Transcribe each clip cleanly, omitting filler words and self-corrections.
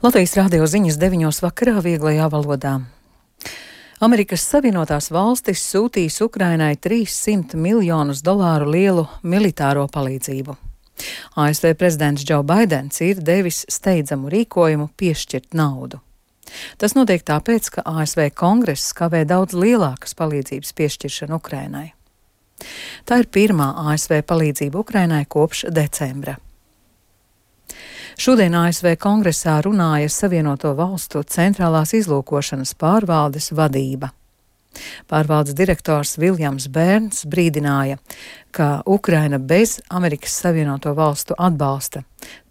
Latvijas radio ziņas 9 vakarā vieglajā valodā. Amerikas Savienotās valstis sūtīs Ukrainai $300 miljonus lielu militāro palīdzību. ASV prezidents Džo Baidens ir devis steidzamu rīkojumu piešķirt naudu. Tas notiek tāpēc, ka ASV kongress kavē daudz lielākas palīdzības piešķiršanu Ukrainai. Tā ir pirmā ASV palīdzība Ukrainai kopš decembra. Šodien ASV kongresā runāja Savienoto valstu centrālās izlūkošanas pārvaldes vadība. Pārvaldes direktors Viljams Bērns brīdināja, ka Ukraina bez Amerikas Savienoto valstu atbalsta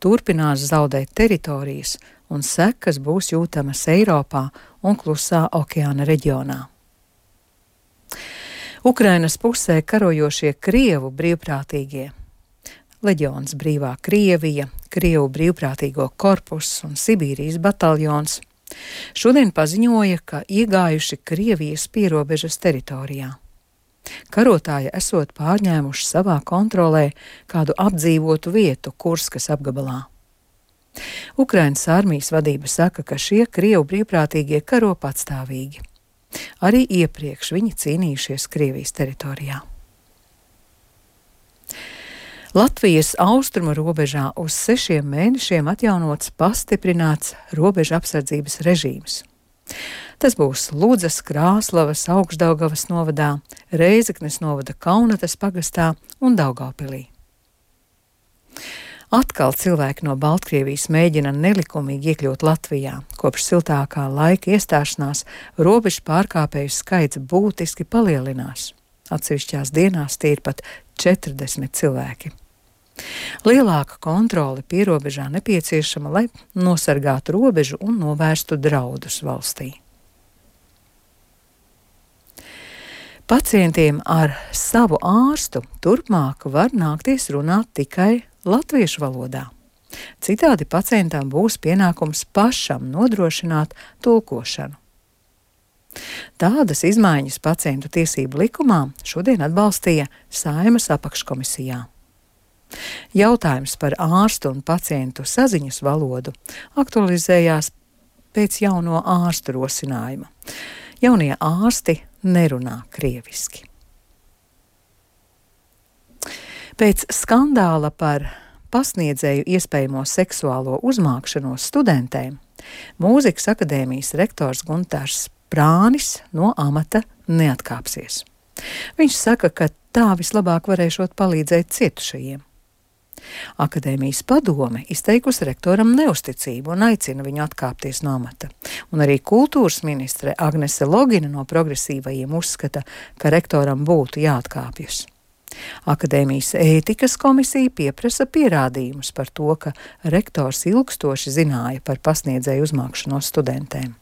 turpinās zaudēt teritorijas un sekas būs jūtamas Eiropā un Klusā okeāna reģionā. Ukrainas pusē karojošie Krievu brīvprātīgie Leģions Brīvā Krievija, Krievu brīvprātīgo korpusu un Sibīrijas bataljons šodien paziņoja, ka iegājuši Krievijas pierobežas teritorijā. Karotāji esot pārņēmuši savā kontrolē kādu apdzīvotu vietu Kurskas apgabalā. Ukrainas armijas vadība saka, ka šie Krievu brīvprātīgie karo patstāvīgi. Arī iepriekš viņi cīnījušies Krievijas teritorijā. Latvijas austrumu robežā uz 6 mēnešiem atjaunots pastiprināts robeža apsardzības režīms. Tas būs Ludzas, Krāslavas, Augšdaugavas novadā, Reizeknes novada Kaunatas pagastā un Daugavpilī. Atkal cilvēki no Baltkrievijas mēģina nelikumīgi iekļūt Latvijā. Kopš siltākā laika iestāšanās robežu pārkāpēju skaits būtiski palielinās. Atsevišķās dienās tie ir pat 40 cilvēki. Lielāka kontrole pierobežā nepieciešama, lai nosargātu robežu un novērstu draudus valstī. Pacientiem ar savu ārstu turpmāk var nākties runāt tikai latviešu valodā. Citādi pacientam būs pienākums pašam nodrošināt tulkošanu. Tādas izmaiņas pacientu tiesību likumā šodien atbalstīja Saeimas apakškomisijā. Jautājums par ārstu un pacientu saziņas valodu aktualizējās pēc jauno ārstu rosinājuma. Jaunie ārsti nerunā krieviski. Pēc skandāla par pasniedzēju iespējamo seksuālo uzmākšanos studentēm, Mūzikas akadēmijas rektors Guntārs Prānis no amata neatkāpsies. Viņš saka, ka tā vislabāk varēšot palīdzēt cietušajiem. Akadēmijas padome izteikusi rektoram neusticību un aicina viņu atkāpties no amata. Un arī kultūras ministre Agnese Logina no progresīvajiem uzskata, ka rektoram būtu jāatkāpjas. Akadēmijas ētikas komisija pieprasa pierādījumus par to, ka rektors ilgstoši zināja par pasniedzēju uzmākšanos studentēm.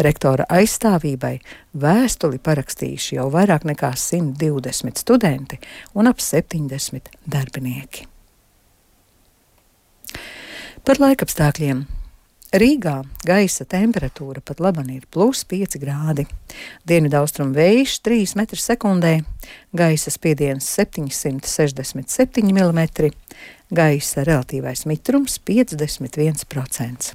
Rektora aizstāvībai vēstuli parakstījuši jau vairāk nekā 120 studenti un ap 70 darbinieki. Par laikapstākļiem. Rīgā gaisa temperatūra pat laban ir +5 grādi. Dienvidaustrumu vējš 3 m/sekundē, gaisa spiediens 767 mm, gaisa relatīvais mitrums 51%.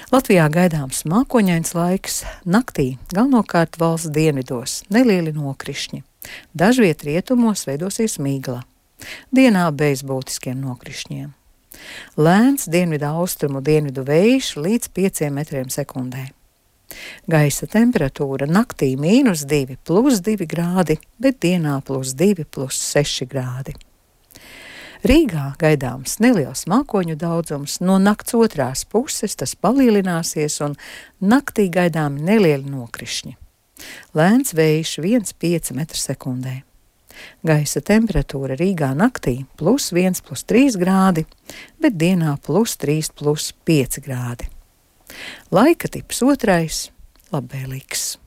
Latvijā gaidāms mākoņains laiks, naktī galvenokārt valsts dienvidos nelieli nokrišņi. Dažviet rietumos veidosies migla. Dienā bez būtiskiem nokrišņiem. Lēns dienvidu austrumu dienvidu vējš līdz 5 m/sekundē. Gaisa temperatūra naktī -2, +2 grādi, bet dienā +2, +6 grādi. Rīgā gaidāms neliels mākoņu daudzums, no nakts otrās puses tas palielināsies un naktī gaidāmi nelieli nokrišņi. Lēns vējš 1,5 m/sekundē. Gaisa temperatūra Rīgā naktī +1, +3 grādi, bet dienā +3, +5 grādi. Laika tips otrais - labvēlīgs.